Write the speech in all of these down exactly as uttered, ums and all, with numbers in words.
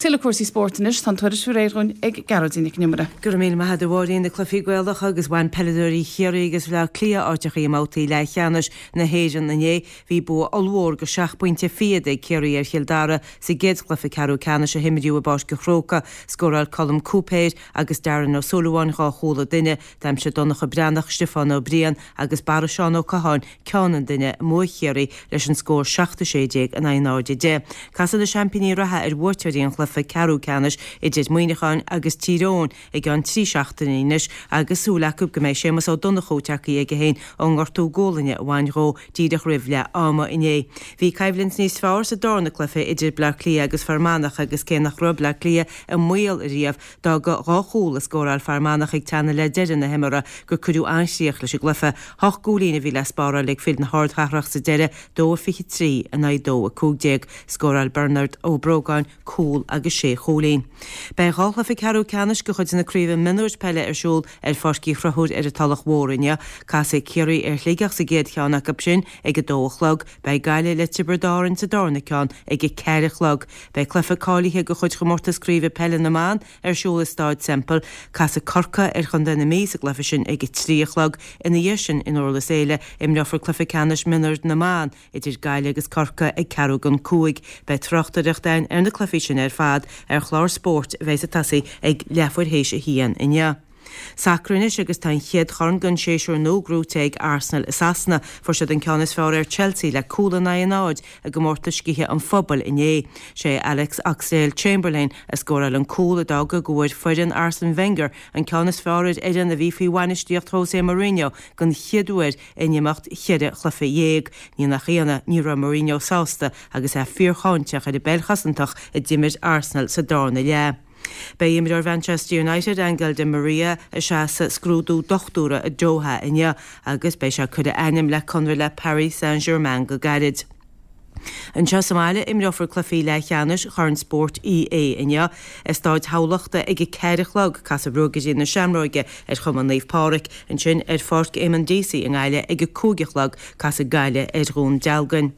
Tuilleadh cúrsaí spóirt anois tá an tuairisc réidh againn ag Gearóidín Nic an Iomaire. Go raibh míle maith agat a Mháirín na cluichí Gaelacha agus bhain peileadóirí Chiarraí agus Bhaile Átha Cliath áiteachaí i mbabhtaí leathcheannais na hÉireann inné. Bhí bua ollmhór go seacht bpointe fichead ag Ciarraí ar Chill Dara sa gcéad chluiche ceathrú ceannais a himríodh i bPáirc an Chrócaigh. Scóráil Colm Cúipéir agus Darren Ó Súilleabháin dhá chúl an duine, d'aimsigh Donncha Breathnach, Stiofán Ó Briain agus Barra Seán Ó Catháin ceann an duine i mbua Chiarraí leis an scór seacht a sé déag in aghaidh náid a deich. Casfaidh na seaimpíní reatha ar bhuaiteoirí an chluiche ceathrú ceannais idir Muineachán agus Tír Eoghain i gceann trí seachtaine anois agus súil acu go mbeidh Séamus Ó Donnchú tagtha chuige féin ón ngortú gualainne a bhain dhó díreach roimh leath ama inné. Bhí coimhlint níos fearr sa darna cluiche idir Bleá Cliath agus Fear Manach agus cé nach raibh Bleá Cliath i mbaol riamh d'fhág dhá chúl a scóráil Fear Manach ag teannadh le deireadh na himeartha gur cuireadh an-chríoch leis an gcluiche. Hocht gcúilín a bhí le spáráil ag fir na hardchathrach sa deireadh, dó a fiche trí in aghaidh dó a cúig déag. Scóráil Bernard Ó Brógáin cúl agus sé chúilín. Beidh dhá chluiche ceathrú ceannais de chuid na craoibhe mionúir peile ar siúl ar Pháirc Uí Chonchúir ar an Tulach Mhór inniu. Casfaidh Ciarraí ar Shligeach sa gcéad cheann acu sin ag a dó a chlog. Beidh Gaillimh le Tiobraid Árann sa darna ceann ag a ceathair a chlog. Beidh cluiche cáilithe de chuid chomórtas craoibhe peile na mban ar siúl i Stáid Semple. Casfaidh Corcaigh ar Chontae na Mí sa gcluiche sin ag a trí a chlog. Ina dhiaidh sin in Durlas Éile imreofar cluiche ceannais mionúir na mban idir Gaillimh agus Corcaigh ag ceathrú don cúig. Beidh tráchtaireacht againn ar na cluichí sin ar fad ar chlár spóirt a bheidh ag tosaí ag leathuair théis a haon inniu. Sacar anois agus tá an chéad chorn den séasúr nua gnóite ag Arsenal i Sasana. Fuair siad an ceann is fearr ar Chelsea le cúl in aghaidh a náid i gcomórtas Sciatha an Phobail inné. Sé Alex Oxlade-Chamberlain a scóráil an cúl a d'fhág go bhfuair foireann Arsene Wenger an ceann is fearr ar fhoireann a bhí faoi bhainistíocht José Mourinho den chéad uair in imeacht cheithre chluiche dhéag. Ní nach ionadh ní raibh Mourinho sásta agus é fíorcháinteach ar an bpeil chosantach a d'imir Arsenal sa darna leath. Beidh imreoir Manchester United Angel Di Maria ag seasamh scrúdú dochtúra i Doha inniu agus beidh sé ag cur a ainm le conradh le Paris Saint-Germain go gairid. Anseo sa mbaile imreofar cluichí leathcheannais Chorn Spóirt EA inniu i Staid Thamhlachta ag a ceathair a chlog casfaidh Ruagairí na Seamróige ar Chumann Naomh Pádraig, ansin ar Pháirc Éamonn Deasy i nGaillimh ag a cúig a chlog casfaidh Gaillimh ar Dhún Dealgan.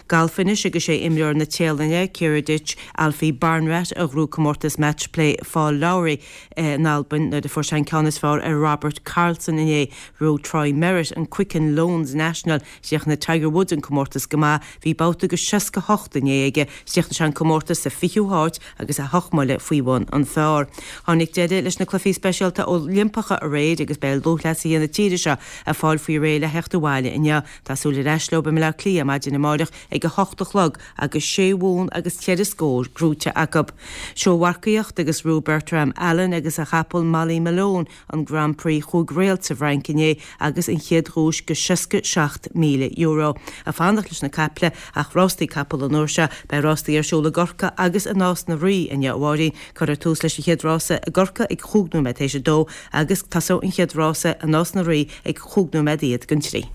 Galf anois agus sé imreoir na Téalainne Kiradech Alfie Barnrat a ghnóthaigh comórtas match play Paul Lawrie in Albain nuair a fuair sé an ceann is fearr ar Robert Karlsson inné. Ghnóthaigh Troy Merritt an Quicken Loans National chríochnaigh Tiger Woods an comórtas go maith, bhí babhta go seasca hocht inné aige, chríochnaigh sé an comórtas sa fichiú háit agus é hocht mbuille faoi bhun an phar. Tháinig deireadh leis na cluichí speisialta Oilimpeacha aréir agus beidh lúthchleasaithe na tíre seo ag fáil faoi réir le theacht abhaile inniu. Tá súil ar ais leo i mBleá Cliath maidin amárach ag a hocht a chlog agus sé bhonn agus ceithre scór gnóite acu. Seómharcaíocht agus ghnóthaigh Bertram Allen agus a chapall Molly Malone an Grand Prix chúig réalt sa bhFrainc inné agus an chéad dhuais go seasca seacht míle euro. Ag fanacht leis na caiple ach rástaí capall an uair seo, beidh rástaí ar siúl i gCorcaigh agus i Nás na Rí inniu a Mháirín. Cuirfear tús leis an chéad rása i gCorcaigh ag chúig nóiméad théis a dó agus tosóidh an chéad rása i Nás na Rí ag chúig nóiméad fhichead don trí.